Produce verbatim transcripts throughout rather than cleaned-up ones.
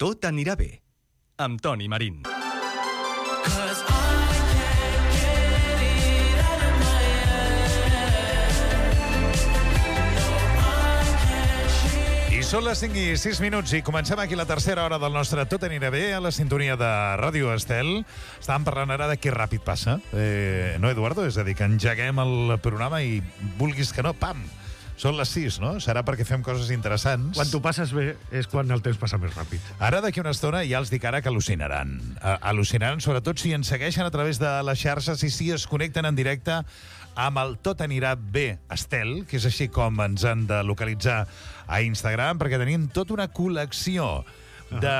Tot anirà bé, amb Toni Marín. I són les cinc i sis minuts i comencem aquí la tercera hora del nostre Tot anirà bé a la sintonia de Ràdio Estel. Estàvem parlant ara de que ràpid passa. Eh, no, Eduardo? És a dir, que engeguem el programa i vulguis que no, pam! Són les sis, no? Serà perquè fem coses interessants. Quan t'ho passes bé és quan el temps passa més ràpid. Ara, d'aquí una estona, ja els dic ara que al·lucinaran. Uh, al·lucinaran, sobretot si ens segueixen a través de les xarxes i si es connecten en directe amb el Tot anirà bé Estel, que és així com ens han de localitzar a Instagram, perquè tenim tota una col·lecció de,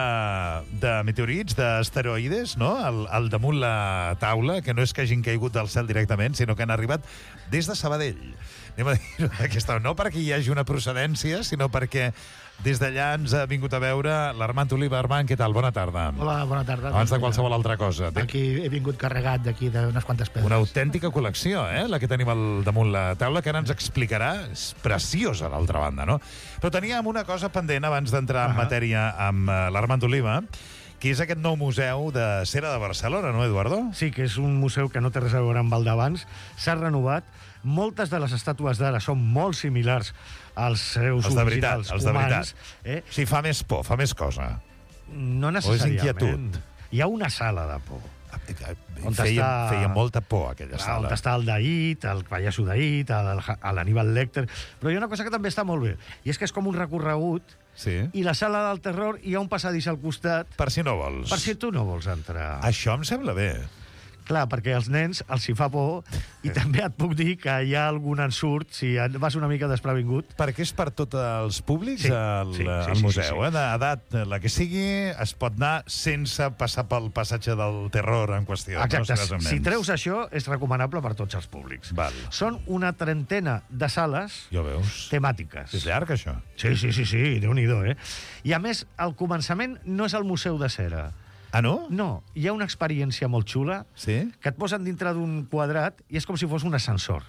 de meteorits, d'asteroides, no? Al, al damunt la taula, que no és que hagin caigut del cel directament, sinó que han arribat des de Sabadell. Anem a dir-ho d'aquesta... No perquè hi hagi una procedència, sinó perquè des d'allà ens ha vingut a veure l'Armand Oliva. Armand, què tal? Bona tarda. Hola, bona tarda. Abans de qualsevol altra cosa. Aquí he vingut carregat d'aquí d'unes quantes pedres. Una autèntica col·lecció, eh? La que tenim al damunt la taula, que ara ens explicarà. És preciosa, d'altra banda, no? Però teníem una cosa pendent abans d'entrar en matèria amb l'Armand Oliva, que és aquest nou museu de cera de Barcelona, no, Eduardo? Sí, que és un museu que no té res a veure amb el d'abans. S'ha renovat. Moltes de les estàtues d'ara són molt similars als seus els de originals veritat, els de humans. veritat. Eh? O sigui, fa més por, fa més cosa. No O és necessàriament. inquietud? Hi ha una sala de por. On Feia, està... feia molta por, aquella Clar, sala. on està el Daid, el pallasso Daid, l'Aníbal Lecter... Però hi ha una cosa que també està molt bé, i és que és com un recorregut, Sí. i la sala del terror hi ha un passadís al costat... Per si no vols. Per si tu no vols entrar. Això em sembla bé. Clar, perquè als nens els hi fa por, i també et puc dir que hi ha algun ensurt, si vas una mica desprevingut. Perquè és per tots els públics, Sí, el, sí, sí, el sí, museu. sí, sí. Eh? D'edat, la que sigui, es pot anar sense passar pel passatge del terror en qüestió. Exacte, No? si treus això, és recomanable per tots els públics. Val. Són una trentena de sales Ja ho veus. temàtiques. És llarg, això. Sí, sí, sí, sí, Déu-n'hi-do, eh? I a més, al començament no és el Museu de Cera. Ah, no? No, hi ha una experiència molt xula Sí? que et posen dintre d'un quadrat i és com si fos un ascensor.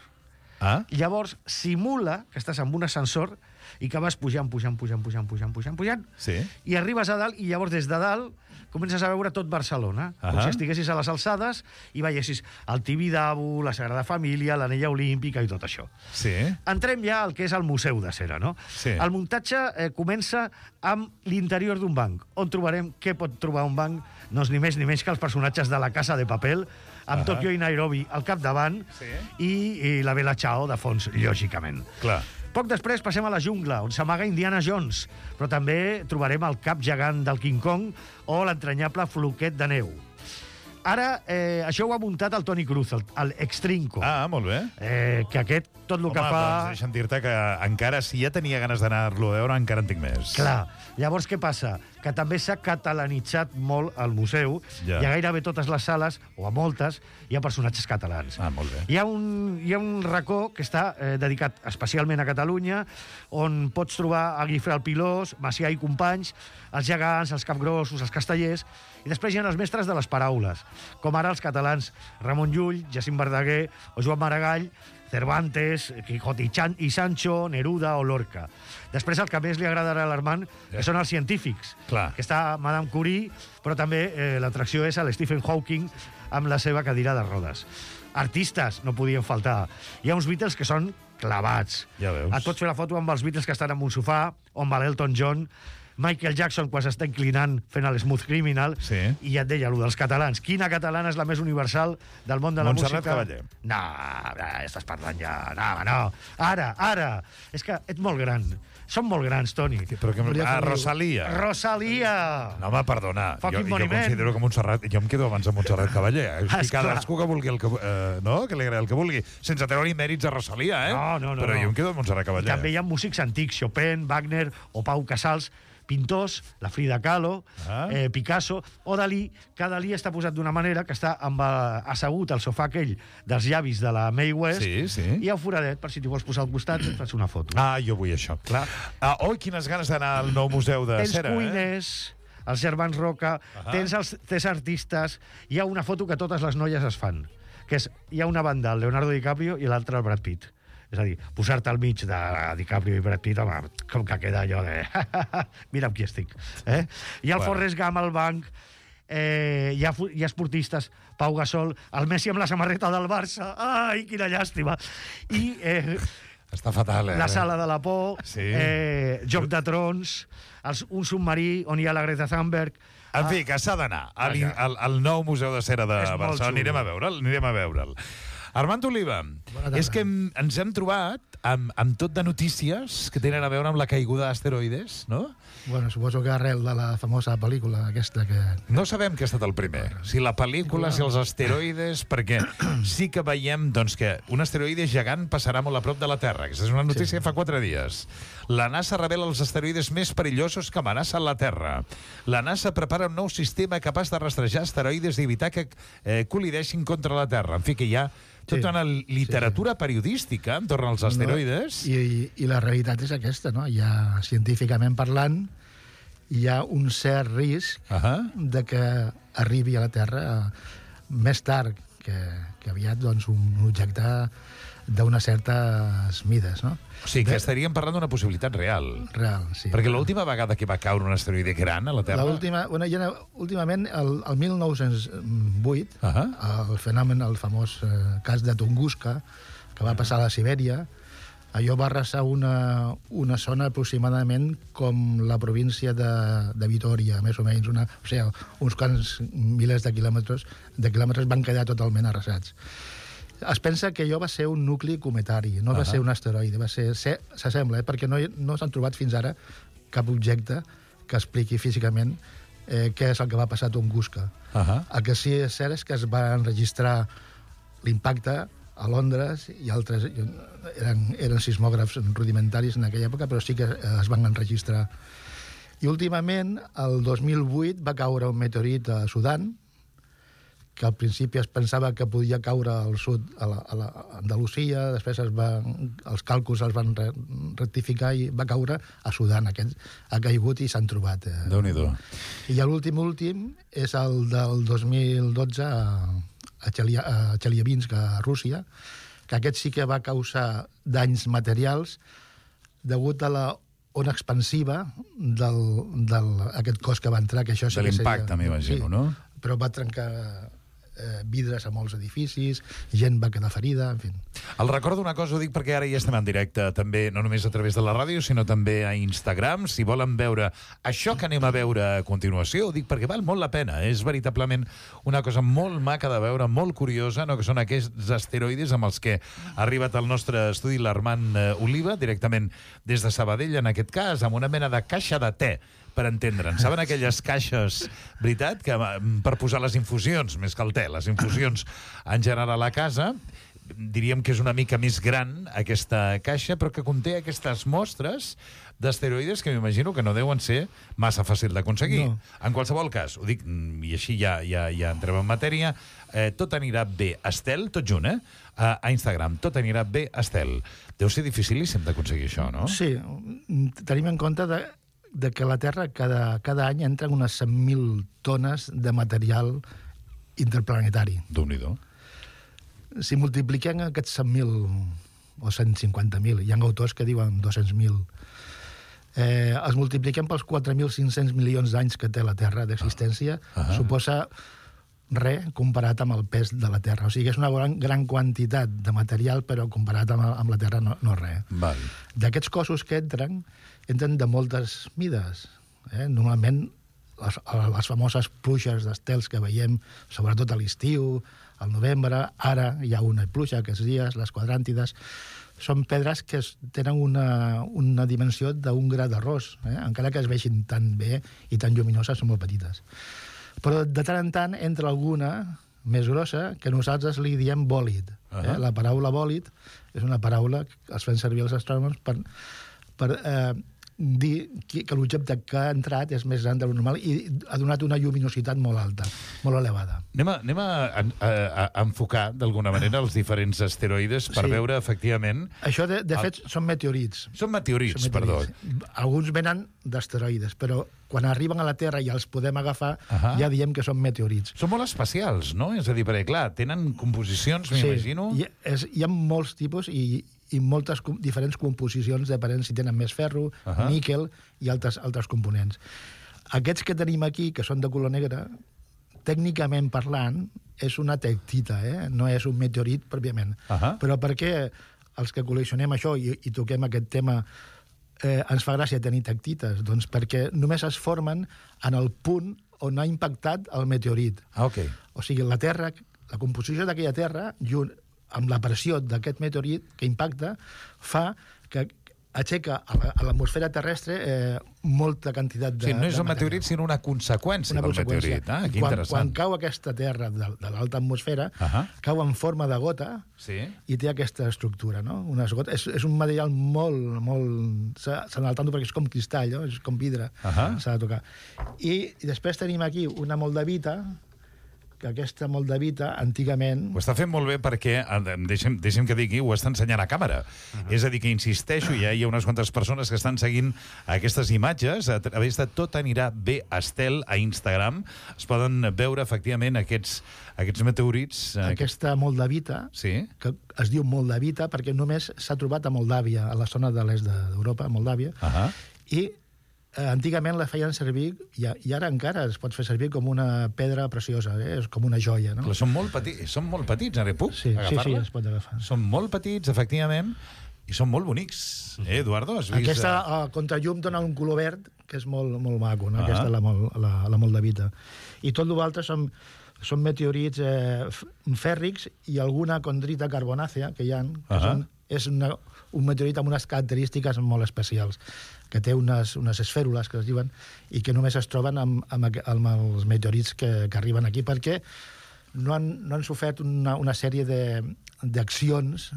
Ah? Llavors, simula que estàs amb un ascensor i que vas pujant, pujant, pujant, pujant, pujant, pujant, pujant, Sí. i arribes a dalt i llavors des de dalt comences a veure tot Barcelona, com Ahà. si estiguessis a les alçades i veiessis el Tibidabo, la Sagrada Família, l'Anella Olímpica i tot això. Sí? Entrem ja al que és el Museu de Cera, no? Sí. El muntatge eh, comença amb l'interior d'un banc, on trobarem què pot trobar un banc, doncs ni més ni menys que els personatges de la Casa de Papel, amb Ahà. Tòquio i Nairobi al capdavant, Sí. i, i la Bella Ciao de fons, lògicament. Clar. Poc després passem a la jungla, on s'amaga Indiana Jones, però també trobarem el cap gegant del King Kong o l'entranyable floquet de neu. Ara, eh, això ho ha muntat el Toni Cruz, el, el Extrinco, Ah, molt bé. eh, que aquest tot el Home, que fa... doncs deixa'm dir-te que encara, si ja tenia ganes d'anar-lo a veure, encara en tinc més. Clar, llavors què passa? Que també s'ha catalanitzat molt el museu, Ja. i a gairebé totes les sales, o a moltes, hi ha personatges catalans. Ah, molt bé. Hi ha un, hi ha un racó que està eh, dedicat especialment a Catalunya, on pots trobar a Guifré el Pilós, Macià i companys, els gegants, els capgrossos, els castellers, i després hi ha els mestres de les paraules, com ara els catalans Ramon Llull, Jacint Verdaguer o Joan Maragall, Cervantes, Quijote i, Chan i Sancho, Neruda o Lorca. Després el que més li agradarà a l'Armand, que són els científics, Clar. que està Madame Curie, però també eh, l'atracció és a l'Stephen Hawking amb la seva cadira de rodes. Artistes no podien faltar. Hi ha uns Beatles que són clavats. Ja veus. Et pots fer la foto amb els Beatles que estan en un sofà, o amb l'Elton John, Michael Jackson quan s'està inclinant fent el Smooth Criminal, Sí. i ja et deia, allò dels catalans. Quina catalana és la més universal del món de la Montserrat música? Cavaller. No, ja estàs parlant ja. No, home, no. Ara, ara. És que ets molt gran. Som molt grans, Toni. Però que... Ah, Rosalia. Rosalia! No, home, perdona. Jo, Fucking jo monument. considero que Montserrat... Jo em quedo abans de Montserrat Cavaller. Eh? Ah, I esclar. cadascú que vulgui el que... Eh, no? Que li agradi el que vulgui. Sense treure-hi mèrits a Rosalia, eh? No, no, no, Però no. jo em quedo amb Montserrat Cavaller. També hi ha músics antics, Chopin, Wagner o Pau Casals, pintors, la Frida Kahlo, Ah. eh, Picasso o Dalí, que Dalí està posat d'una manera que està amb, eh, assegut al sofà aquell dels llavis de la Mae West, Sí, sí. i hi ha un foradet, per si t'hi vols posar al costat, et fas una foto. Ah, jo vull això. Clar. Ah, oi, quines ganes d'anar al nou museu de Tens cera, eh? cuiners, els germans Roca, Ahà. tens els tres artistes, hi ha una foto que totes les noies es fan, que és, hi ha una banda el Leonardo DiCaprio i l'altra el Brad Pitt. És a dir, posar-te al mig de DiCaprio i Brad Pitt, home, com que queda allò de... Mira amb qui estic. Eh? I el Bueno. Forrest Gump al banc, eh, hi, ha, fu- hi ha esportistes, Pau Gasol, el Messi amb la samarreta del Barça, ai, quina llàstima. I eh, Està fatal, eh? la sala de la por, Sí. eh, Joc de Trons, els, un submarí on hi ha la Greta Thunberg. En fi, que s'ha d'anar al, al, al nou Museu de Cera de És molt Barcelona. xulo. Anirem a veure'l, anirem a veure'l. Armand Oliva, tarda. és que hem, ens hem trobat amb, amb tot de notícies que tenen a veure amb la caiguda d'asteroides, no? Bueno, suposo que arrel de la famosa pel·lícula aquesta que... No sabem què ha estat el primer, si la pel·lícula, si els asteroides, perquè sí que veiem doncs, que un asteroide gegant passarà molt a prop de la Terra. Aquesta és una notícia sí. fa quatre dies. La NASA revela els asteroides més perillosos que amenacen la Terra. La NASA prepara un nou sistema capaç de rastrejar asteroides i evitar que eh, col·lideixin contra la Terra. En fi, que hi ha tota Sí. una literatura periodística entorn als asteroides. No, i, I la realitat és aquesta, no? Hi ha, científicament parlant, hi ha un cert risc Uh -huh. de que arribi a la Terra eh, més tard que, que aviat doncs, un objecte d'unes certes mides, no? O sigui, que De- estaríem parlant d'una possibilitat real. Real, sí. Perquè l'última vegada que va caure un asteroide gran a la Terra... L'última, bueno, ja, últimament, el, el mil nou-cents vuit, Uh -huh. el fenomen, el famós eh, cas de Tunguska, que va passar a la Sibèria, allò va arrasar una, una zona aproximadament com la província de, de Vitòria, més o menys, una, o sigui, uns quants milers de quilòmetres, de quilòmetres van quedar totalment arrasats. Es pensa que allò va ser un nucli cometari, no va Ah. ser un asteroide, va ser, ser s'assembla, eh, perquè no, hi- no s'han trobat fins ara cap objecte que expliqui físicament eh, què és el que va passar a Tunguska. Uh -huh. El que sí és cert és que es va enregistrar l'impacte a Londres i altres... Eren, eren sismògrafs rudimentaris en aquella època, però sí que eh, es van enregistrar. I últimament, el dos mil vuit, va caure un meteorit a Sudan, que al principi es pensava que podia caure al sud, a la, a la a Andalusia, després es va, els càlculs els van re, rectificar i va caure a Sudan. Aquest ha caigut i s'han trobat. Eh. Déu-n'hi-do. I l'últim últim és el del dos mil dotze a, a, Chelia, a Chelyabinsk, a Rússia, que aquest sí que va causar danys materials degut a la ona expansiva del, del, aquest cos que va entrar, que això sí De que l'impacte, seria- m'imagino, sí, no? Però va trencar eh, vidres a molts edificis, gent va quedar ferida, en fi. El recordo una cosa, ho dic perquè ara ja estem en directe, també, no només a través de la ràdio, sinó també a Instagram. Si volen veure això que anem a veure a continuació, ho dic perquè val molt la pena. És veritablement una cosa molt maca de veure, molt curiosa, no? Que són aquests asteroides amb els que ha arribat al nostre estudi l'Armand eh, Oliva, directament des de Sabadell, en aquest cas, amb una mena de caixa de te, per entendre'n. Saben aquelles caixes, veritat, que mm, per posar les infusions, més que el te, les infusions en general a la casa, diríem que és una mica més gran aquesta caixa, però que conté aquestes mostres d'asteroides que m'imagino que no deuen ser massa fàcil d'aconseguir. No. En qualsevol cas, ho dic, mm, i així ja, ja, ja entrem en matèria, eh, tot anirà bé, Estel, tot junt, eh? A, a Instagram, tot anirà bé, Estel. Deu ser dificilíssim d'aconseguir això, no? Sí, tenim en compte de, de que a la Terra cada, cada any entren unes cent mil tones de material interplanetari. Déu-n'hi-do. Si multipliquem aquests cent mil o cent cinquanta mil, hi ha autors que diuen dos-cents mil, eh, els multipliquem pels quatre mil cinc-cents milions d'anys que té la Terra d'existència, Ah. Ah. suposa res comparat amb el pes de la Terra. O sigui, és una gran, gran quantitat de material, però comparat amb, amb la Terra no, no res. Val. D'aquests cossos que entren, entren de moltes mides. Eh? Normalment, les, les famoses pluges d'estels que veiem, sobretot a l'estiu, al novembre, ara hi ha una pluja aquests dies, les quadràntides, són pedres que es- tenen una, una dimensió d'un gra d'arròs, eh? encara que es vegin tan bé i tan lluminoses, són molt petites. Però de tant en tant entra alguna més grossa que nosaltres li diem bòlid. Eh? Ahà. La paraula bòlid és una paraula que es fan servir els astrònoms per, per eh, dir que, que l'objecte que ha entrat és més gran de lo normal i ha donat una lluminositat molt alta, molt elevada. Anem a, anem a, a, a, a enfocar, d'alguna manera, els diferents asteroides per Sí. veure, efectivament... Això, de, de El- fet, són meteorits. Són meteorits, Són perdó. meteorits. Alguns venen d'asteroides, però quan arriben a la Terra i els podem agafar, Ahà. ja diem que són meteorits. Són molt especials, no? És a dir, perquè, clar, tenen composicions, m'imagino... Hi, és, hi ha molts tipus i, i moltes com, diferents composicions depenent si tenen més ferro, uh -huh. níquel i altres, altres components. Aquests que tenim aquí, que són de color negre, tècnicament parlant, és una tectita, eh? No és un meteorit pròpiament. Uh -huh. Però per què els que col·leccionem això i, i toquem aquest tema eh, ens fa gràcia tenir tectites? Doncs perquè només es formen en el punt on ha impactat el meteorit. Ah, ok. O sigui, la Terra, la composició d'aquella Terra, junt amb la pressió d'aquest meteorit que impacta, fa que aixeca a l'atmosfera terrestre eh, molta quantitat de... Sí, no és un un meteorit, sinó una conseqüència una del conseqüència. meteorit. Ah, que quan, interessant. quan cau aquesta Terra de, de l'alta atmosfera, uh -huh. cau en forma de gota sí. i té aquesta estructura, no? Unes gotes, és, és un material molt... molt s'ha d'anar tanto perquè és com cristall, no? És com vidre, uh -huh. s'ha de tocar. I, I després tenim aquí una moldavita, que aquesta moldavita, antigament... Ho està fent molt bé perquè, deixem, deixem que digui, ho està ensenyant a càmera. Uh -huh. És a dir, que insisteixo, ja hi ha unes quantes persones que estan seguint aquestes imatges a través de Tot anirà bé Estel a Instagram. Es poden veure, efectivament, aquests, aquests meteorits... Aquesta moldavita, sí. que es diu moldavita perquè només s'ha trobat a Moldàvia, a la zona de l'est d'Europa, Moldàvia, uh -huh. i Eh, antigament la feien servir, i, i ara encara es pot fer servir com una pedra preciosa, eh? És com una joia, no? Però són molt petits, són molt petits, ara puc sí, agafar-la? Sí, sí, es pot agafar. Són molt petits, efectivament, i són molt bonics, eh, Eduardo? Has vist... Aquesta, a contrallum, dona un color verd, que és molt, molt maco, no? Uh -huh. Aquesta, la, la, la moldavita. I tot l'altre són, són meteorits eh, fèrrics i alguna condrita carbonàcea que hi ha, que uh -huh. són, és una, un meteorit amb unes característiques molt especials, que té unes, unes esfèrules, que es diuen, i que només es troben amb, amb, amb els meteorits que, que arriben aquí, perquè no han, no han sofert una, una sèrie d'accions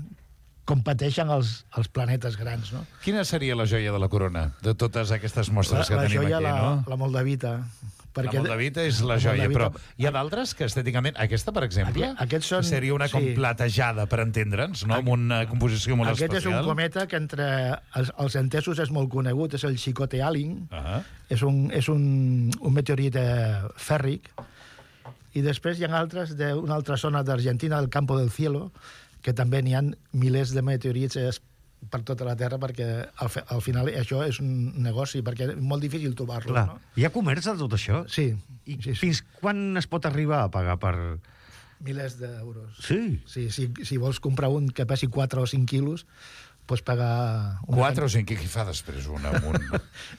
com pateixen els, els planetes grans, no? Quina seria la joia de la corona, de totes aquestes mostres la, que la tenim joia, aquí, la, no? La moldavita. Perquè la moldavita és la joia, però hi ha d'altres que estèticament... Aquesta, per exemple, Aquest són, seria una com sí. platejada, per entendre'ns, no? Amb una composició molt Aquest especial. Aquest és un cometa que entre els, els entesos és molt conegut, és el Chicote Alling, uh -huh. és, un, és un, un meteorit eh, fèrric, i després hi ha altres d'una altra zona d'Argentina, del Campo del Cielo, que també n'hi ha milers de meteorits eh, per tota la Terra, perquè al, al final això és un negoci, perquè és molt difícil trobar-lo. No? Hi ha comerç de tot això? Sí. I sí, sí. fins quan es pot arribar a pagar per... Milers d'euros. Sí? Sí, si, si vols comprar un que pesi quatre o cinc quilos, pots pagar... quatre o cinc, què fa després un amunt?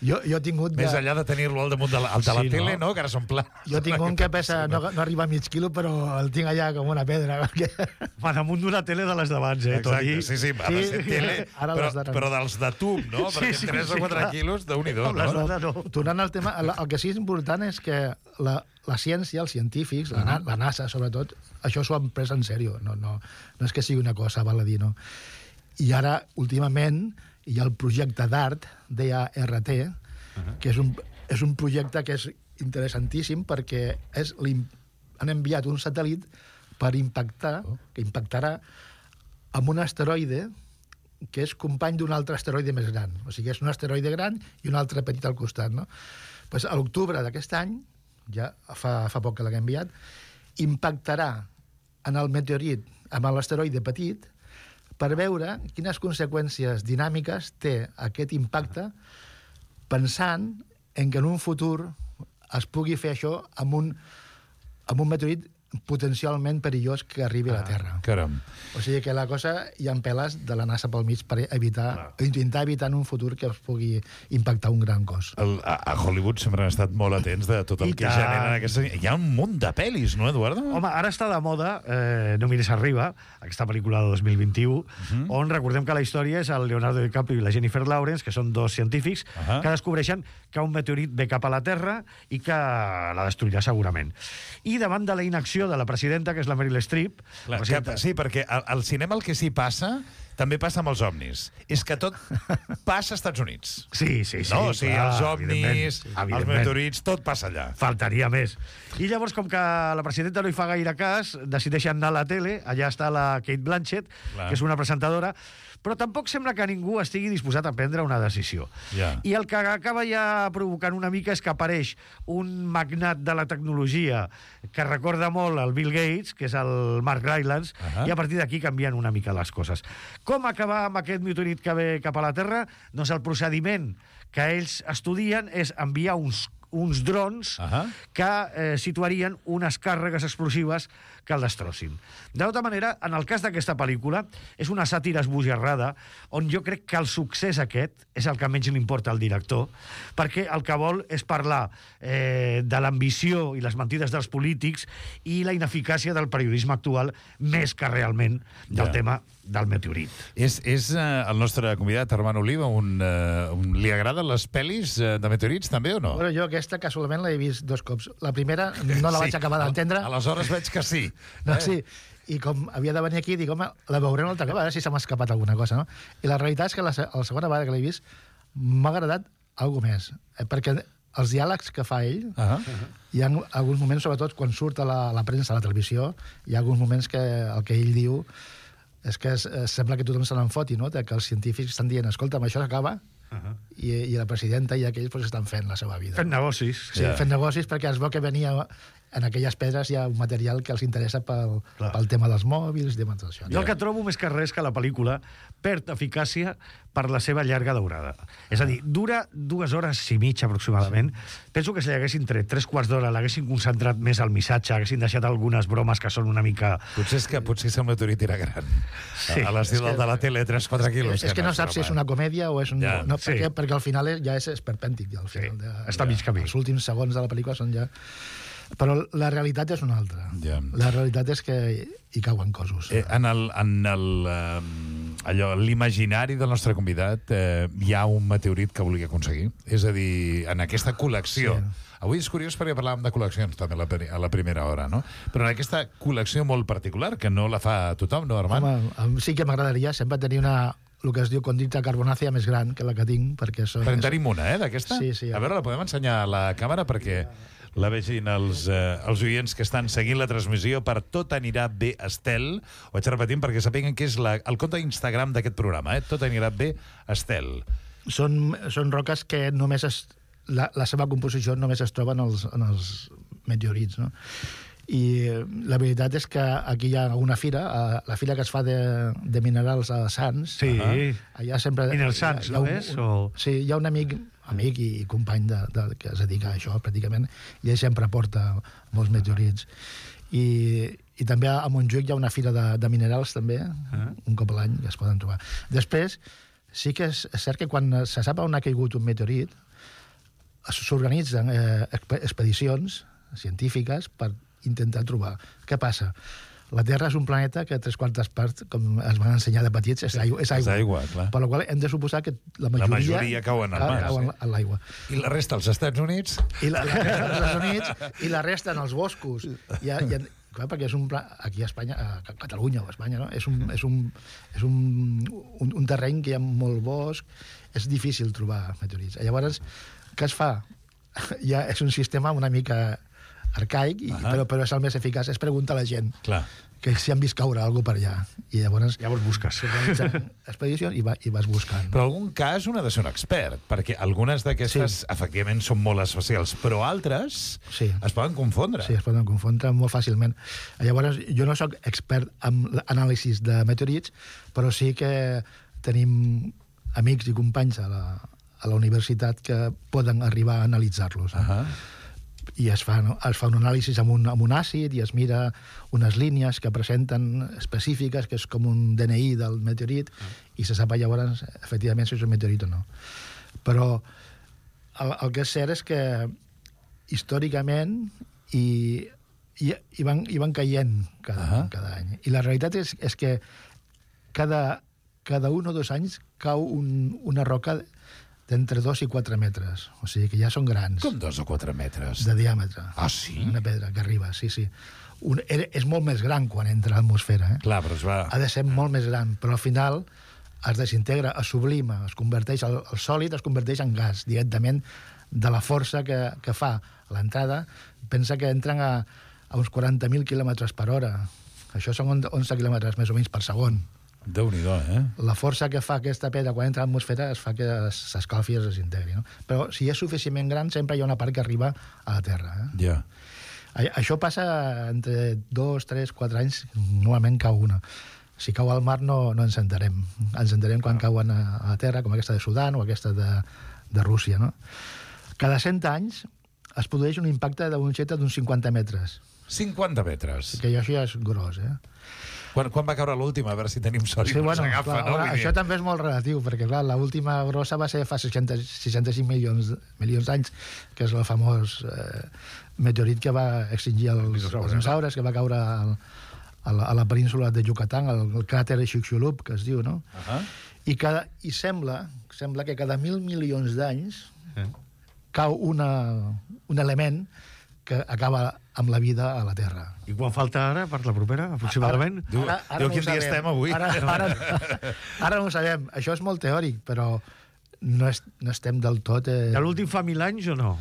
jo, jo he tingut... De... Més enllà de tenir-lo al damunt de la, de la sí, tele, no? no? Que ara són plans. Jo tinc un que pesa, no, no arriba a mig quilo, però el tinc allà com una pedra. Perquè... Va damunt d'una tele de les d'abans, eh, Toni? Exacte, sí, sí, va sí, ser tele, però, però dels de tub, no? Sí, Perquè sí, tres sí, o quatre clar. quilos, déu-n'hi-do, no? no? no. Tornant al tema, el, el que sí és important és que la, la ciència, els científics, uh -huh. la, la NASA, sobretot, això s'ho han pres en sèrio. No, no, no és que sigui una cosa, val a dir, no? I ara, últimament, hi ha el projecte DART, D A R T, uh -huh. que és un, és un projecte que és interessantíssim perquè és han enviat un satèl·lit per impactar, oh. que impactarà amb un asteroide que és company d'un altre asteroide més gran. O sigui, és un asteroide gran i un altre petit al costat, no? Pues a l'octubre d'aquest any, ja fa, fa poc que l'hem enviat, impactarà en el meteorit, amb l'asteroide petit, per veure quines conseqüències dinàmiques té aquest impacte, pensant en que en un futur es pugui fer això amb un, amb un meteorit potencialment perillós que arribi a la Terra. Ah, caram. O sigui que la cosa hi ha peles de la NASA pel mig per evitar, intentar evitar en un futur que es pugui impactar un gran cos. El, a, a Hollywood sempre han estat molt atents de tot el I que tant. generen aquestes... Hi ha un munt de pel·lis, no, Eduardo? Home, ara està de moda eh, No mires arriba, aquesta pel·lícula de dos mil vint-i-u, uh -huh. on recordem que la història és el Leonardo DiCaprio i la Jennifer Lawrence, que són dos científics, uh -huh. que descobreixen que un meteorit ve cap a la Terra i que la destruirà segurament. I davant de la inacció de la presidenta, que és la Meryl Streep... Clar, que, sí, perquè al, al cinema el que sí passa també passa amb els ovnis. És que tot passa als Estats Units. Sí, sí, sí. No? O sigui, clar, els ovnis, sí, els meteorits, tot passa allà. Faltaria més. I llavors, com que la presidenta no hi fa gaire cas, decideixen anar a la tele, allà està la Kate Blanchett, clar. que és una presentadora, però tampoc sembla que ningú estigui disposat a prendre una decisió. Ja. I el que acaba ja provocant una mica és que apareix un magnat de la tecnologia que recorda molt el Bill Gates, que és el Mark Rylance, uh -huh. i a partir d'aquí canvien una mica les coses. Com acabar amb aquest meteorit que ve cap a la Terra? Doncs el procediment que ells estudien és enviar uns uns drons uh -huh. que eh, situarien unes càrregues explosives que el destrossin. De tota manera, en el cas d'aquesta pel·lícula, és una sàtira esbojarrada on jo crec que el succés aquest és el que menys li importa al director, perquè el que vol és parlar eh, de l'ambició i les mentides dels polítics i la ineficàcia del periodisme actual més que realment del Ja. tema del meteorit. És, és uh, el nostre convidat, Armand Oliva, un, uh, un, li agraden les pel·lis uh, de meteorits, també, o no? Bueno, jo aquesta casualment l'he vist dos cops. La primera no la vaig Sí. acabar d'entendre. Aleshores veig que sí. No, Eh? sí. I com havia de venir aquí, dic, home, la veuré una altra cop, a veure si se m'ha escapat alguna cosa, no? I la realitat és que la, se- la segona vegada que l'he vist m'ha agradat alguna més, eh? perquè els diàlegs que fa ell, Uh -huh. hi ha alguns moments, sobretot quan surt a la, a la premsa, a la televisió, hi ha alguns moments que el que ell diu és que es, es, sembla que tothom se n'en foti, no? Que els científics estan dient, escolta'm, això s'acaba, uh -huh. I, i la presidenta i aquells pues, estan fent la seva vida. Fent negocis. Sí, Ja. fent negocis perquè es veu que venia en aquelles pedres hi ha un material que els interessa pel, Clar. pel tema dels mòbils, tema d'això. Jo el que trobo més que res que la pel·lícula perd eficàcia per la seva llarga durada. És a dir, dura dues hores i mitja aproximadament. Penso que si haguessin tret tres quarts d'hora, l'haguessin concentrat més al missatge, haguessin deixat algunes bromes que són una mica... Potser és que potser és el meteorit era gran. Sí. A l'estil És que- del de la tele, tres quatre quilos. És, és que no saps si és una comèdia o és un... Ja. No, Sí. perquè, perquè al final és, ja és esperpèntic. Ja, al Sí, final, ja, està a mig camí. Els últims segons de la pel·lícula són ja... Però la realitat és una altra. Ja. La realitat és que hi cauen cossos. Eh, en el, en el, eh, allò, l'imaginari del nostre convidat eh, hi ha un meteorit que volia aconseguir. És a dir, en aquesta col·lecció... Sí. Avui és curiós perquè parlàvem de col·leccions també a la, pri- a la primera hora, no? Però en aquesta col·lecció molt particular, que no la fa tothom, no, Armand? Home, a mi sí que m'agradaria sempre tenir una el que es diu condita carbonàcia més gran que la que tinc, perquè són... Però en tenim una, eh, d'aquesta? Sí, sí. A veure, la podem ensenyar a la càmera perquè la vegin els, eh, els oients que estan seguint la transmissió per Tot anirà bé Estel. Ho vaig repetint perquè sapiguen que és la, el compte d'Instagram d'aquest programa, eh? Tot anirà bé Estel. Són, són roques que només es, la, la seva composició només es troba en els, en els meteorits, no? I la veritat és que aquí hi ha una fira, eh, la fira que es fa de, de minerals a Sants. Sí. eh, allà sempre... Minerals Sants, hi ha no un- és? un- O- Sí, hi ha un amic, amic i company de, de, que es dedica a això, pràcticament, i ell sempre porta molts meteorits. I, i també a Montjuïc hi ha una fira de, de minerals, també, Ah. un cop a l'any, que es poden trobar. Després, sí que és, és cert que quan se sap on ha caigut un meteorit, s'organitzen eh, expe- expedicions científiques per intentar trobar. Què passa? La Terra és un planeta que tres quartes parts, com es van ensenyar de petits, és aigua. És És aigua, aigua, clar. Per la qual hem de suposar que la majoria, majoria cauen al mar, cauen sí. a l'aigua. I la resta, als Estats Units? I la, la resta als Estats Units i la resta en els boscos. I, i, clar, perquè és un pla, aquí a Espanya, a Catalunya o a Espanya, no? és, un, és, un, és un, un, un terreny que hi ha molt bosc, és difícil trobar meteorits. Llavors, què es fa? Ja és un sistema una mica arcaic, i, Ahà. però, però és el més eficaç, és preguntar a la gent Clar. que si han vist caure alguna cosa per allà. I llavors Llavors busques. s'organitzen expedicions i, va, i vas buscant. Però en algun cas un ha de ser un expert, perquè algunes d'aquestes, sí. efectivament, són molt especials, però altres Sí. es poden confondre. Sí, es poden confondre molt fàcilment. Llavors, jo no sóc expert en l'anàlisi de meteorits, però sí que tenim amics i companys a la, a la universitat que poden arribar a analitzar-los. Eh? Ahà. I es fa, no? es fa un anàlisi amb un, amb un àcid i es mira unes línies que presenten específiques, que és com un D N I del meteorit, i se sap llavors, efectivament, si és un meteorit o no. Però el, el que és cert és que històricament i, i, i, van, i van caient cada, Ahà. cada any. I la realitat és, és que cada, cada un o dos anys cau un, una roca d'entre dos i quatre metres. O sigui que ja són grans. Com dos o quatre metres? De diàmetre. Ah, sí? Una pedra que arriba, sí, sí. Un, era- és molt més gran quan entra a l'atmosfera. Eh? Clar, però es va... Ha de ser molt més gran, però al final es desintegra, es sublima, es converteix, el, el sòlid es converteix en gas directament de la força que, que fa l'entrada. Pensa que entren a, a uns quaranta mil quilòmetres per hora. Això són onze quilòmetres més o menys per segon. Déu-n'hi-do, eh? La força que fa aquesta pedra quan entra a l'atmosfera es fa que s'escalfi i es desintegri. No? Però si és suficientment gran, sempre hi ha una part que arriba a la Terra. Eh? Ja. A- Això passa entre dos, tres, quatre anys, normalment cau una. si cau al mar no, no ens enterem. Ens enterem quan cauen a, a la terra, com aquesta de Sudan o aquesta de, de Rússia, no? Cada cent anys es produeix un impacte d'un objecte d'uns cinquanta metres. cinquanta metres. Que això ja és gros, eh? Quan, quan va caure l'última? A veure si tenim sort Sí, i no bueno, s'agafa, clar, no? ara, això també és molt relatiu, perquè clar, l'última grossa va ser fa seixanta, seixanta-cinc milions, milions d'anys, que és el famós eh, meteorit que va extingir els, els dinosaures, que va caure al, a, la, a la península de Yucatán, el, el cràter Chicxulub, que es diu, no? Uh -huh. I, cada, i sembla, sembla que cada mil milions d'anys eh. cau una, un element que acaba amb la vida a la Terra. I quan falta ara, per la propera, aproximadament? Diu, Ara- ara diu no quin ho dia sabem. estem avui. Ara, ara, ara no ho sabem. Això és molt teòric, però no, és, no estem del tot... Eh, De l'últim fa mil anys o no?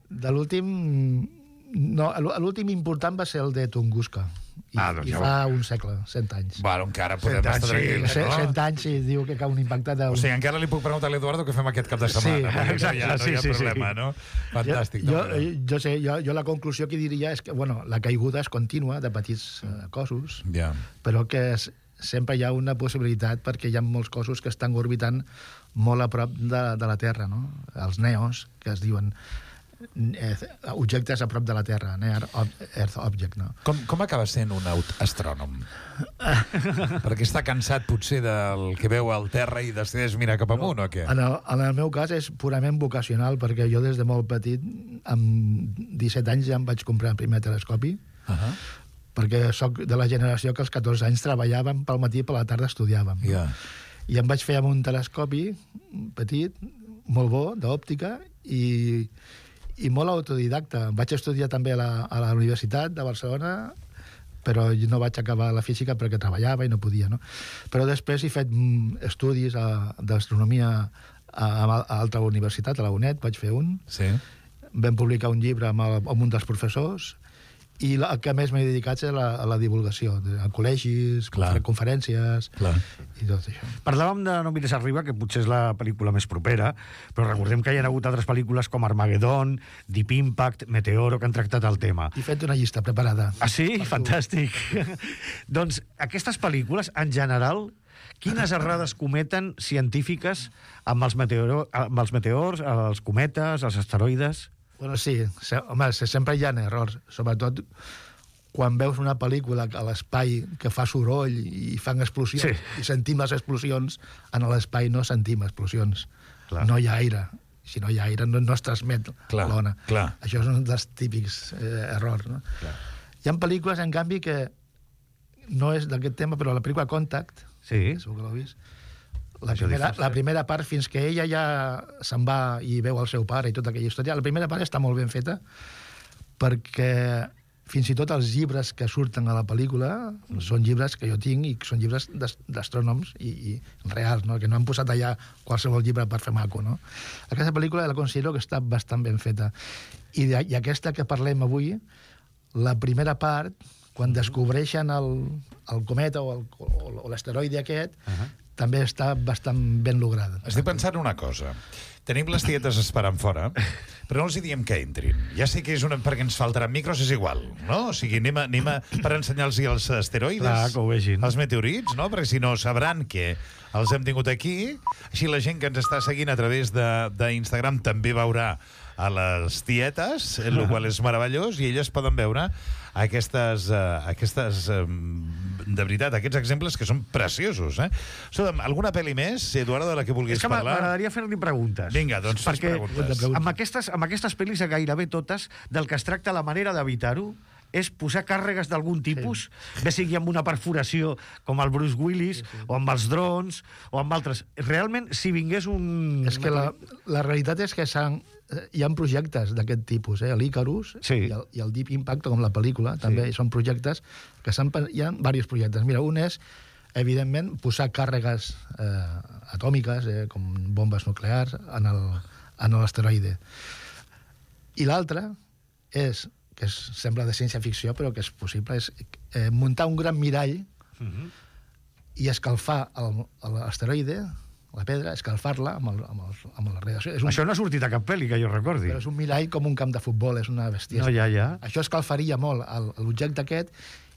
de l'últim... No, l'últim important va ser el de Tunguska. I, Ah, doncs i ja fa un segle, cent anys. Bueno, encara podem Cent anys, estar sí, tranquils, Cent, no? cent anys i diu que cau un impacte de... O sigui, encara li puc preguntar a l'Eduardo què fem aquest cap de setmana. Sí, perquè exacte, no hi ha, no hi ha sí, sí, problema, sí. no? Fantàstic. Jo, no? jo, jo sé, jo, jo la conclusió que diria és que, bueno, la caiguda és contínua de petits eh, cossos, Ja. però que es, sempre hi ha una possibilitat perquè hi ha molts cossos que estan orbitant molt a prop de, de la Terra, no? Els neos, que es diuen eh, objectes a prop de la Terra, Near Earth Object, no? Com, com acaba sent un aut- astrònom? Perquè està cansat potser del que veu al terra i decideix mirar cap amunt o què? En el, en el meu cas és purament vocacional, perquè jo des de molt petit, amb disset anys ja em vaig comprar el primer telescopi, Uh -huh. perquè sóc de la generació que als catorze anys treballàvem pel matí i per la tarda estudiàvem. No? Ja. I em vaig fer amb un telescopi petit, molt bo, d'òptica, i, i molt autodidacta. Vaig estudiar també a la, a la Universitat de Barcelona, però no vaig acabar la física perquè treballava i no podia, no? Però després he fet mm, estudis a- d'astronomia a, a, a altra universitat, a la UNED, vaig fer un. Sí. Vam publicar un llibre amb, el, amb un dels professors, i la, el que més m'he dedicat és a la, a la divulgació, de- a col·legis, Clar. conferències, Clar. i tot això. Parlàvem de No mires arriba, que potser és la pel·lícula més propera, però recordem que hi ha hagut altres pel·lícules com Armageddon, Deep Impact, Meteoro, que han tractat el tema. He fet una llista preparada. Ah, sí? Fantàstic. Doncs aquestes pel·lícules, en general, quines errades cometen científiques amb els, meteoro, amb els meteors, els cometes, els asteroides? Bueno, sí, se, home, se, sempre hi ha errors, sobretot quan veus una pel·lícula a l'espai que fa soroll i fan explosions, Sí. i sentim les explosions, en l'espai no sentim explosions. Clar. No hi ha aire. Si no hi ha aire, no, no es transmet Clar, l'ona. clar. Això és un dels típics eh, errors. No? Clar. Hi ha pel·lícules, en canvi, que no és d'aquest tema, però la pel·lícula Contact, Sí. segur que l'heu vist, la Això primera, dius, la eh? primera part, fins que ella ja se'n va i veu el seu pare i tota aquella història, la primera part està molt ben feta, perquè fins i tot els llibres que surten a la pel·lícula són llibres que jo tinc i són llibres d'as- d'astrònoms i, i reals, no? Que no han posat allà qualsevol llibre per fer maco, no? Aquesta pel·lícula la considero que està bastant ben feta. I, de, i aquesta que parlem avui, la primera part, quan descobreixen el, el cometa o el- o o l'asteroide aquest, uh -huh. també està bastant ben lograda. Estic pensant una cosa. Tenim les tietes esperant fora, però no els hi diem que entrin. Ja sé que és una... perquè ens faltaran micros, és igual, no? O sigui, anem, a, anem a, per ensenyar-los els asteroides, Clar, que ho vegin. els meteorits, no? Perquè si no sabran que els hem tingut aquí. Així la gent que ens està seguint a través de- d'Instagram també veurà a les tietes, el qual és meravellós, i elles poden veure aquestes, uh, aquestes um, de veritat, aquests exemples que són preciosos, eh? Escolta'm, alguna pel·li més, Eduardo, de la que vulguis És que parlar? m'agradaria fer-li preguntes. Vinga, doncs fes Perquè preguntes. amb aquestes, amb aquestes pel·lis, gairebé totes, del que es tracta la manera d'evitar-ho és posar càrregues d'algun tipus, sí. bé sigui amb una perforació com el Bruce Willis, sí, sí. o amb els drons, o amb altres. Realment, si vingués un... És que la, la realitat és que s'han, eh, hi ha projectes d'aquest tipus, eh? l'Icarus Sí. i, el, i el Deep Impact, com la pel·lícula, també són projectes que s'han... pen- hi ha diversos projectes. Mira, un és, evidentment, posar càrregues eh, atòmiques, eh, com bombes nuclears, en el- en l'asteroide. I l'altre és, que és, sembla de ciència-ficció, però que és possible, és eh, muntar un gran mirall Uh -huh. i escalfar el- l'asteroide, la pedra, escalfar-la amb, el, amb, el, amb la radiació. És un, Això no ha sortit a cap pel·li, que jo recordi. però és un mirall com un camp de futbol, és una bestiesa. No, ja, ja. Això escalfaria molt el- l'objecte aquest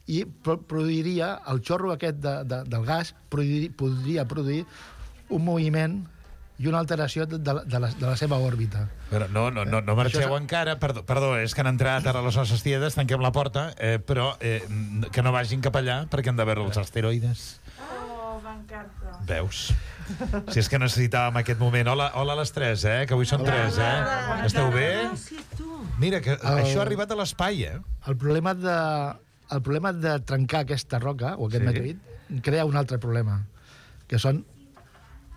i pro produiria, el xorro aquest de, de, del gas produir, podria produir un moviment i una alteració de, de, de, la, de la seva òrbita. Però no, no, no, no marxeu és... encara. Perdó, perdó, és que han entrat ara les nostres tietes, tanquem la porta, eh, però eh, que no vagin cap allà perquè han de veure els asteroides. Oh, m'encanta. Veus? Si és que necessitàvem aquest moment. Hola, hola a les tres, eh? Que avui són tres, eh? Esteu bé? Mira, que el... això ha arribat a l'espai, eh? El problema de, el problema de trencar aquesta roca, o aquest Sí. meteorit, crea un altre problema, que són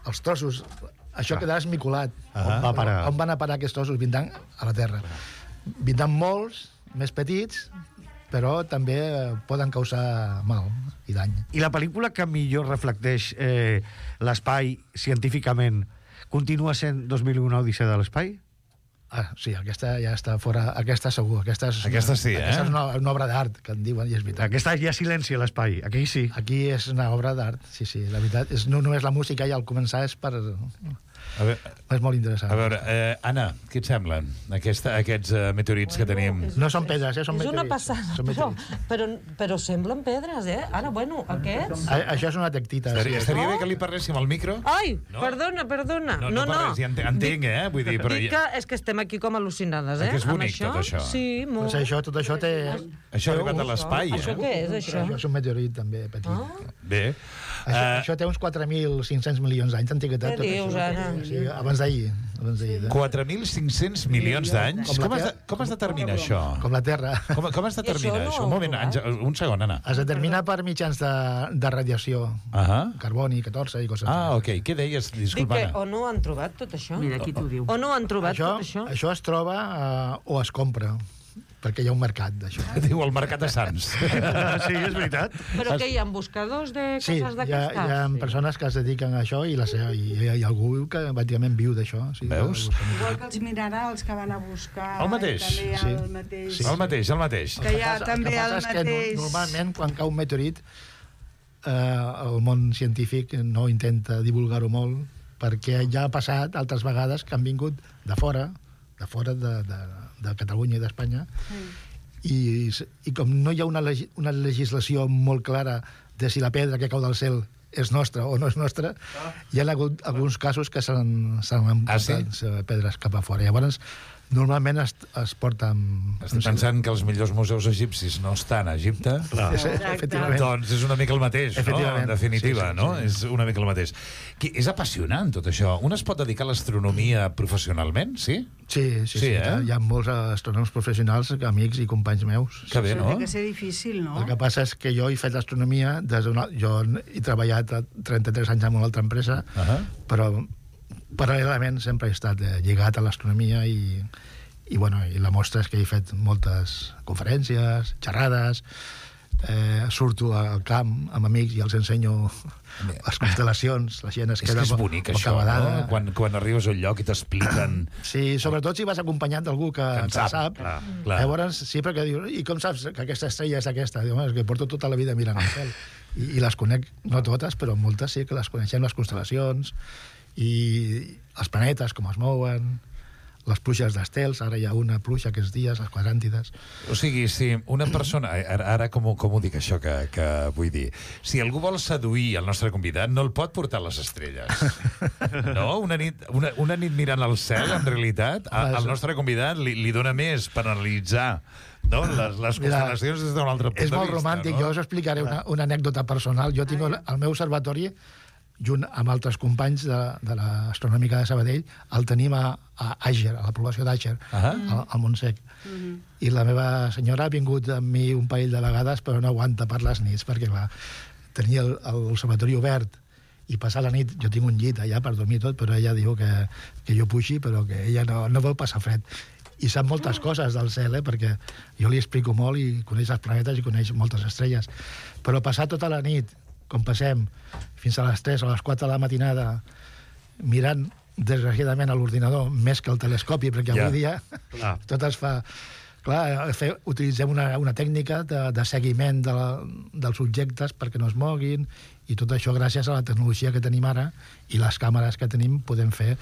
els trossos. Això quedarà esmicolat. Ah. On va parar? On van a parar aquests trossos? Vindran a la Terra. Vindran molts, més petits, però també poden causar mal i dany. I la pel·lícula que millor reflecteix eh, l'espai científicament continua sent dos mil un Odissea de l'espai? Ah, sí, aquesta ja està fora. Aquesta segur. Aquesta, és, Aquesta sí, eh? Aquesta és una, una obra d'art, que en diuen, i és veritat. Aquesta hi ha silenci a l'espai, aquí sí. Aquí és una obra d'art, sí, sí. La veritat, és, no només la música i al començar és per... A veure, És molt interessant. a veure eh, Anna, què et semblen Aquesta, aquests uh, meteorits que tenim? No són pedres, eh? Són És una meteorits. passada, Són però, meteorits. però, però semblen pedres, eh? Ara, bueno, aquests... A, això és una tectita. Estaria, Sí. estaria bé que li parléssim al micro? Ai, No. perdona, perdona. No, no, per res, ja ente- entenc, eh? Vull dir, però... Dic que és que estem aquí com al·lucinades, eh? Que és amb bonic, tot això. Sí, molt. Doncs això, tot això té... Això ha arribat a l'espai, Això eh? què és, això? Això és un meteorit, també, petit. Ah, Bé. Això, Eh, això té uns quatre mil cinc-cents milions d'anys d'antiguitat. Què tot dius, això. ara? Sí, abans d'ahir. Abans d'ahir. quatre mil cinc-cents milions d'anys? Com la Com, es de, Terra. com es determina això? Com la Terra. Com, com es determina I això no això? ho Un moment, heu Àngel, un segon, Anna. Es determina per mitjans de, de radiació. Ah, Carboni, catorze i coses ah, així. ok. Què deies? dic Disculpa, que Anna. o no han trobat tot això? Mira, aquí t'ho diu. O no han trobat Això, tot això? això es troba eh, o es compra, perquè hi ha un mercat d'això. Diu el mercat de Sants. Sí, és veritat. Però què hi ha, buscadors de Sí, coses hi ha, d'aquestes? hi ha persones que es dediquen a això i, la seva, i hi ha algú que pràcticament viu d'això. Sí, Veus? Igual que els minerals que van a buscar. El mateix. També hi ha Sí. el mateix. Sí. El mateix, el mateix. Que hi ha El que també passa el és que no- mateix. normalment, quan cau un meteorit, eh, el món científic no intenta divulgar-ho molt, perquè ja ha passat altres vegades que han vingut de fora, de fora de, de, de Catalunya i d'Espanya, i, i com no hi ha una, legi una legislació molt clara de si la pedra que cau del cel és nostra o no és nostra, hi ha hagut alguns casos que s'han s'han Ah, sí? emportat pedres cap a fora. Llavors, normalment es, es porta amb... Estic pensant que els millors museus egipcis no estan a Egipte. Sí, efectivament. Doncs és una mica el mateix, no? Efectivament. En definitiva, Sí, sí, no? sí. És una mica el mateix. Que és apassionant, tot això. Un es pot dedicar a l'astronomia professionalment, sí? Sí, sí, Sí, sí. eh? Hi ha molts astrònoms professionals, amics i companys meus. Que bé, Això no? té que ser difícil, no? El que passa és que jo he fet astronomia des d'una... Jo he treballat a trenta-tres anys en una altra empresa, Uh -huh. però paral·lelament sempre he estat eh, lligat a l'astronomia i, i, bueno, i la mostra és que he fet moltes conferències, xerrades, eh, surto al camp amb amics i els ensenyo les constel·lacions, la gent es És queda que és bonic, això, bocabadada. no? Quan, quan arribes a un lloc i t'expliquen... Sí, sobretot si vas acompanyat d'algú que, Que en que sap, sap. clar, clar. Llavors, sempre que dius, i com saps que aquesta estrella és aquesta? Diu, "Home, és que porto tota la vida mirant el cel. I, I les conec, no totes, però moltes sí que les coneixem, les constel·lacions, i els planetes, com es mouen, les pluges d'estels, ara hi ha una pluja aquests dies, les quadràntides. O sigui, si una persona... Ara, ara com, ho- com ho dic, això que, que vull dir? Si algú vol seduir el nostre convidat, no el pot portar a les estrelles. No? Una nit, una, una nit mirant el cel, en realitat, a, al nostre convidat li, li dona més per analitzar, no? les, les Mira, constel·lacions des d'un altre punt És de molt vista. romàntic, no? jo us explicaré una, una anècdota personal. Jo tinc el, el meu observatori, junt amb altres companys de, de l'Astronòmica de Sabadell, el tenim a, a Àger, a la població d'Àger, Ah. al, al Montsec. I la meva senyora ha vingut amb mi un parell de vegades, però no aguanta per les nits, perquè clar, tenia el- l'observatori obert i passar la nit, jo tinc un llit allà per dormir tot, però ella diu que, que jo puixi, però que ella no, no vol passar fred. I sap moltes coses del cel, eh? Perquè jo li explico molt i coneix els planetes i coneix moltes estrelles. Però passar tota la nit, com passem, fins a les tres o a les quatre de la matinada, mirant, desgraciadament, a l'ordinador, més que al telescopi, perquè Ja. avui dia Clar. tot es fa... Clar, fe, utilitzem una, una tècnica de, de seguiment de la, dels objectes perquè no es moguin, i tot això gràcies a la tecnologia que tenim ara i les càmeres que tenim podem fer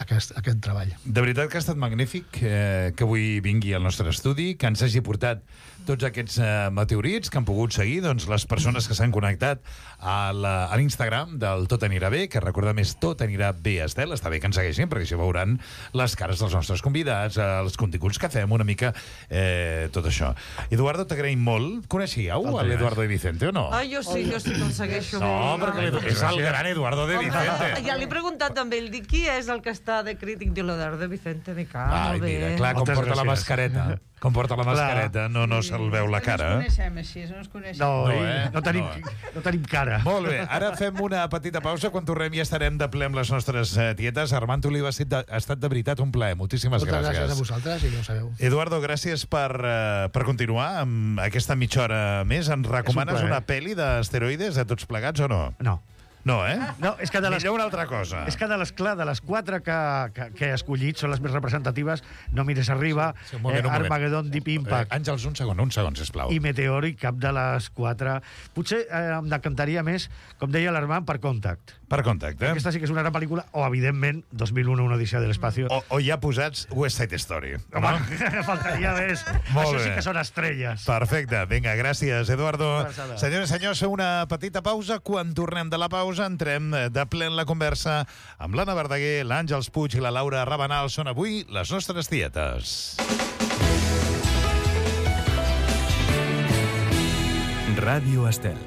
aquest, aquest treball. De veritat que ha estat magnífic eh, que avui vingui al nostre estudi, que ens hagi portat tots aquests eh, meteorits que han pogut seguir doncs, les persones que s'han connectat a la- a l'Instagram del Tot anirà bé, que recordem és Tot anirà bé, Estel. Està bé que ens segueixin, perquè així veuran les cares dels nostres convidats, eh, els continguts que fem, una mica eh, tot això. Eduardo, t'agraïm molt. Coneixíeu a l'Eduardo de Vicente o no? Ai, jo sí, jo sí que el segueixo. No, molt. perquè l'Edu- és el gran Eduardo de Vicente. Ja l'he preguntat també, ell dic, qui és el que està de crític de l'Eduardo de Vicente? Dic, ah, Ai, molt bé. mira, clar, com Moltes porta la gràcies. mascareta. Com porta la mascareta, no, no se'l veu la cara. No ens coneixem així, no ens coneixem. No, No, no, eh? eh? no, tenim, No. no. no tenim cara. Molt bé, ara fem una petita pausa. Quan tornem ja estarem de ple amb les nostres eh, tietes. Armand Oliva, ha estat de, ha estat de veritat un plaer. Moltíssimes Moltes gràcies. gràcies a vosaltres, i ja ho sabeu. Eduardo, gràcies per, eh, per continuar amb aquesta mitja hora més. Ens recomanes plaer. una pel·li d'esteroides a tots plegats o no? No. No, eh? No, és que de les, Millor una altra cosa. és que de les, clar, de les quatre que, que, que he escollit, són les més representatives, No mires arriba, Sí, un moment, un eh, moment. Armageddon, Deep Impact Eh, Àngels, un segon, un segon, sisplau. i Meteoric, cap de les quatre. Potser eh, em decantaria més, com deia l'Armand, per Contact. Per contacte. Aquesta sí que és una gran pel·lícula, o, evidentment, dos mil u, una odissea de l'espacio. O, o ja posats West Side Story. Home, faltaria més. Molt Això bé. sí que són estrelles. Perfecte, vinga, gràcies, Eduardo. Abraçada. Senyores i senyors, fem una petita pausa. Quan tornem de la pausa, entrem de ple en la conversa amb l'Anna Verdaguer, l'Àngels Puig i la Laura Rabanal. Són avui les nostres tietes. Radio Estel.